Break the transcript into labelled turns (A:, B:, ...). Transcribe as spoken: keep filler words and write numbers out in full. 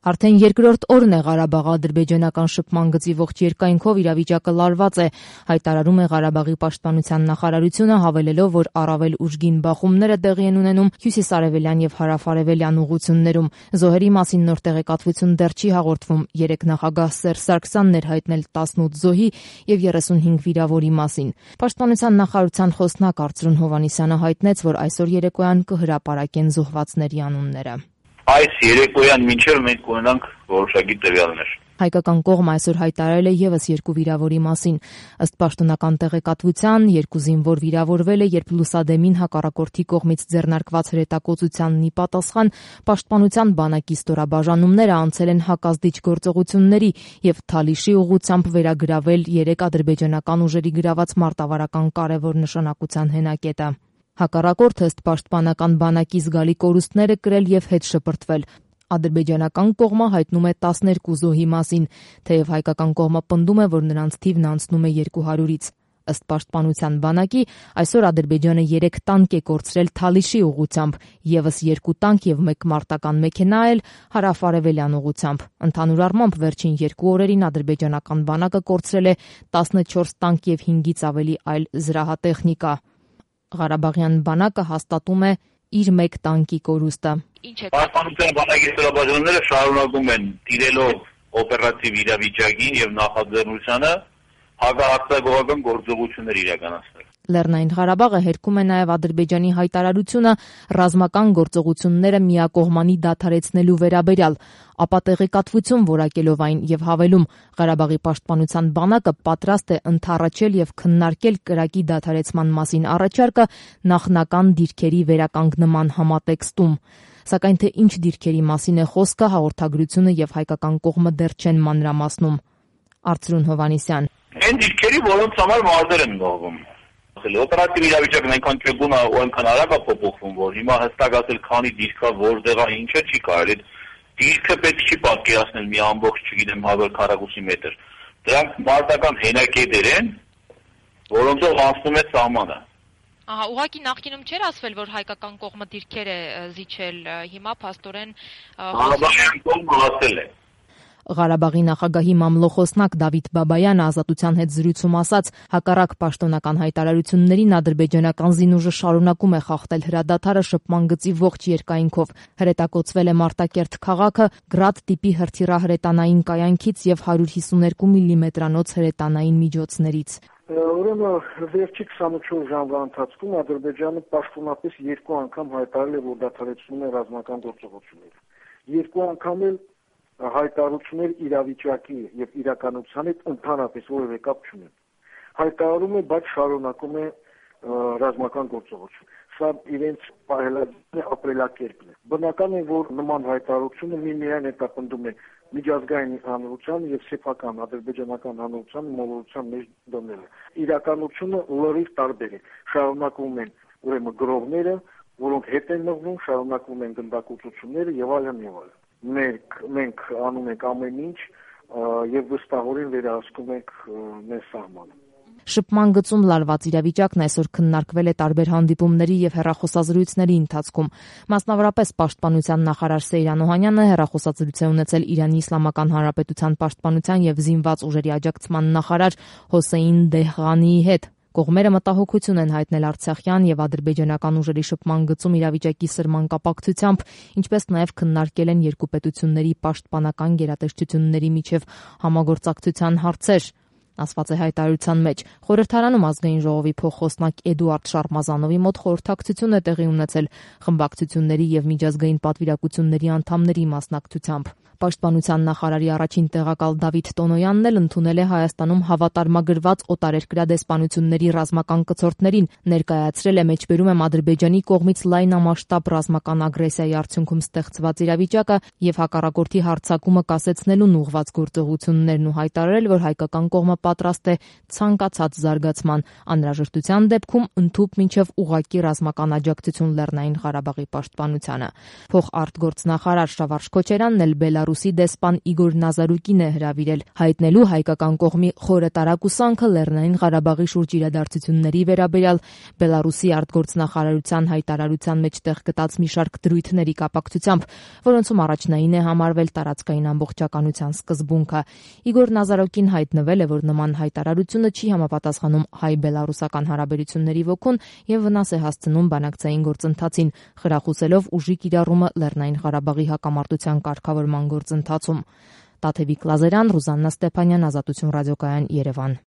A: Արդեն երկրորդ օրն է Ղարաբաղ-ադրբեջանական շփման գծի ողջ երկայնքով իրավիճակը լարված է, հայտարարում է Ղարաբաղի պաշտպանության նախարարությունը, հավելելով, որ առավել ուժգին բախումները տեղի են ունենում հյուսիսարևելյան եւ հարավարևելյան ուղություններում։ Զոհերի մասին նոր տեղեկատվություն դեռ չի հաղորդվում։ Երեկ նախագահ Սերժ Սարգսյանն էր հայտնել տասնութ զոհի եւ երեսունհինգ վիրավորի մասին։ Պաշտպանության նախարարության խոսնակ Արծրուն Հովհաննիսյանը հայտնեց, որ այսօր երեկոյան կհրապարակեն զոհվածների անունները։
B: Այս երեկոյան մինչև մենք ունենանք որոշակի տվյալներ։
A: Հայկական կողմը այսօր հայտարարել է եւս երկու վիրավորի մասին։ Ըստ պաշտոնական տեղեկատվության, երկու զինվոր վիրավորվել է, երբ լուսադեմին հակառակորդի կողմից ձեռնարկված հրետակոծությանն ի պատասխան պաշտպանության բանակի ստորաբաժանումները անցել են հակազդիչ գործողությունների եւ Թալիշի ուղղությամբ վերագրավել երեք ադրբեջանական ուժերի գրաված մարտավարական կարևոր նշանակության հենակետը։ Հակառակորդը ըստ պաշտպանական բանակի զգալի կորուստներ է կրել եւ հետ շպրտվել։ Ադրբեջանական կողմը հայտնում է տասներկու զոհի մասին, թեև հայկական կողմը պնդում է, որ նրանց թիվն անցնում է երկու հարյուրից։ Ըստ պաշտպանության բանակի, այսօր Ադրբեջանը երեք տանկ է կորցրել Թալիշի ուղղությամբ, եւս երկու տանկ եւ մեկ մարտական մեքենա էլ հարավարևելյան ուղղությամբ։ Ընդհանուր առմամբ վերջին երկու օրերին ադրբեջանական բանակը կորցրել է տասնչորս տանկ եւ հինգից ավելի այլ զրահատեխնիկա։ Ղարաբաղյան բանակը հաստատում է իր մեկ տանկի կորուստը։
B: Պաշտպանության բանակի ստորաբաժանումները շարունակում են տիրելով օպերատիվ իրավիճակին եւ նախաձեռնությանը հակահարձակողական գործողություններ իրականացնել։
A: Լեռնային Ղարաբաղը հերքում է նաև Ադրբեջանի հայտարարությունը ռազմական գործողությունները միակողմանի դադարեցնելու վերաբերյալ, ապա տեղեկատվություն որակելով այն եւ հավելում Ղարաբաղի պաշտպանության բանակը պատրաստ է ընդառաջել եւ քննարկել կրակի դադարեցման մասին առաջարկը նախնական դիրքերի վերականգնման համատեքստում։ Սակայն թե ինչ դիրքերի մասին է խոսքը, հաղորդագրությունը եւ հայկական կողմը դեռ չեն մանրամասնում։ Արծրուն Հովհաննիսյան.
B: Այն դիրքերի, որոնց համար մարտեր են գողում։ Օպերատիվ իրավիճակն այնքան ճգուն է ու այնքան արագ է փոփոխվում, որ հիմա հստակ ասել քանի դիրք է, որտեղ է, ինչը չի կարելի։ Դիրքը պետք չի պատկերացնել մի ամբողջ, չգիտեմ, հազար քառակուսի մետր։ Դրանք մարտական հենակետեր են, որոնցով անցնում է սահմանը։
C: Ահա, ուղղակի նախկինում չէր ասվել, որ հայկական կողմը դիրքեր է զիջել, հիմա փաստորեն
B: Ղարաբաղյան կողմը ասել է։
A: Ղարաբաղի նախագահի մամլոխոսնակ Դավիթ Բաբայանը Ազատության հետ զրույցում ասաց, հակառակ պաշտոնական հայտարարություններին ադրբեջանական զինուժը շարունակում է խախտել հրադադարը շփման գծի ողջ երկայնքով։ Հրետակոծվել է Մարտակերտ քաղաքը գրադ տիպի հրթիռահրետանային կայանքից եւ հարյուր հիսուներկու միլիմետրանոց հրետանային միջոցներից։
D: Ուրեմն վերջի քսանուչորս ժամվա ընթացքում Ադրբեջանը պաշտոնապես երկու անգամ հայտարարել է, որ դադարեցնում է ռազմական գործողությունները։ Երկու անգամ էլ հայտարարություններ իրավիճակի եւ իրականության հետ ընդհանրապես որևէ կապ չունեն։ Հայտարարում է, բայց շարունակում է ռազմական գործողություն։ Սա իրենց պահելագիր ապրելակերպն է։ Բնական է, որ նման հայտարարությունը մի միայն հետապնդում է միջազգային հանրության եւ սեփական ադրբեջանական հանրության մոլորության մեջ դնելը։ Իրականությունը լրիվ տարբեր է։ Շարունակվում են ուրեմն գրողները, որոնք հետ են մղվում, շարունակվում են գնդակոծությունները եւ այլն եւ այլն։ Մենք մենք անում ենք ամեն ինչ եւ վստահորեն վերահսկում ենք մեր սահմանը։
A: Շփման գծում լարված իրավիճակն այսօր քննարկվել է տարբեր հանդիպումների եւ հեռախոսազրույցների ընթացքում։ Մասնավորապես պաշտպանության նախարար Սեյրան Օհանյանը հեռախոսազրույց է ունեցել Իրանի Իսլամական Հանրապետության պաշտպանության եւ զինված ուժերի աջակցման նախարար Հոսեյն Դեհղանիի հետ։ Կողմերը մտահոգություն են հայտնել արցախյան եւ ադրբեջանական ուժերի շփման գծում իրավիճակի սրման կապակցությամբ, ինչպես նաեւ քննարկել են երկու պետությունների պաշտպանական գերատեսչությունների միջև համագործակցության հարցեր, ասված է հայտարարության մեջ։ Խորհրդարանում ազգային ժողովի փոխխոսնակ Էդուարդ Շարմազանովի մոտ խորհրդակցություն է տեղի ունեցել խմբակցությունների եւ միջազգային պատվիրակությունների անդամների մասնակցությամբ։ Պաշտպանության նախարարի առաջին տեղակալ Դավիթ Տոնոյանն էլ ընդունել է Հայաստանում հավատարմագրված օտարերկրյա դեսպանությունների ռազմական կցորդներին, ներկայացրել է մեջբերում եմ Ադրբեջանի կողմից լայնամասշտաբ ռազմական ագրեսիայի արդյունքում ստեղծված իրավիճակը եւ հակառակորդի հարձակումը կասեցնելուն ուղղված գործողություններն ու հայտարարել, որ հայկական կողմը պատրաստ է ցանկացած զարգացման, անհրաժեշտության դեպքում ընդհուպ մինչև ուղղակի ռազմական աջակցություն Լեռնային Ղարաբաղի պաշտպանությանը։ Փոխարտգործնախարար Շավարժ Քոչարյանն էլ Բելարուսի դեսպան Իգոր Նազարուկին է հրավիրել հայտնելու հայկական կողմի խորը տարակուսանքը Լեռնային Ղարաբաղի շուրջ իրադարձությունների վերաբերյալ Բելարուսի արտգործնախարարության հայտարարության մեջ տեղ գտած մի շարք դրույթների կապակցությամբ, որոնցում առաջնային է համարվել տարածքային ամբողջականության սկզբունքը։ Իգոր Նազարուկին հայտնվել է, որ նման հայտարարությունը չի համապատասխանում հայ-բելարուսական հարաբերությունների ոգուն եւ վնաս է հասցնում բանակցային գործընթացին, խրախուսելով ուժի կիրառումը Լեռնային Ղարաբաղի հակամարտության կարգավորման գործընթացում։ Տաթևիկ Լազարյան, Ռուզաննա Ստեփանյան, Ազատություն ռադիոկայան, Երևան։